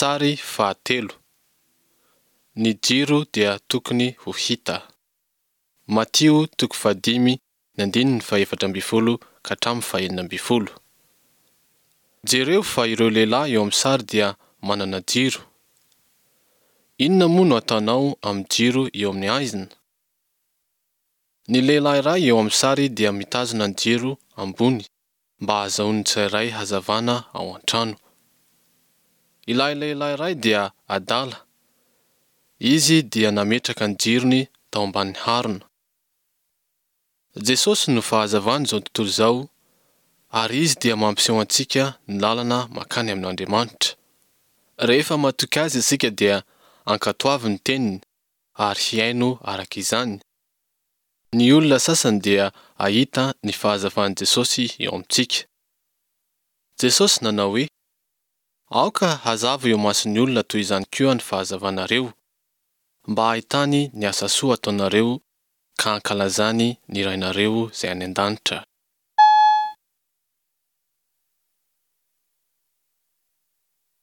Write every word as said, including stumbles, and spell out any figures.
Sary fahatelo. Ny jiro dia tokony ho hita. Matio toko fahadimy ny andininy fahefatra ambin'ny folo ka hatramin'ny fahenina ambin'ny folo. Jereo fa ireo lehilahy eo amin'ny sary dia manana jiro. Inona moa no ataonao amin'ny jiro eo amin'ny haizina? Ny lehilahy iray eo amin'ny sary dia mitazona ny jiro ambony mba hahazoan'ny tsirairay hazavana ao an-trano. Ilay lehilahy iray dia adala. Izy dia nametraka ny jirony tao ambany harona. Jesosy no fahazavan'izao tontolo izao ary Izy dia mampiseho antsika ny lalana mankany amin'Andriamanitra. Rehefa matoky Azy isika dia ankatoavy ny teniny ary hiaino araka izany. Ny olona sasany dia ahita ny fahazavan'i Jesosy eo amintsika. Jesosy nanao hoe, Aoka hazava eo imason'ny olona toy izany koa ny fahazavanareo, mba hahitany ny asa soa ataonareo ka hankalazany ny Rainareo izay any an-danitra.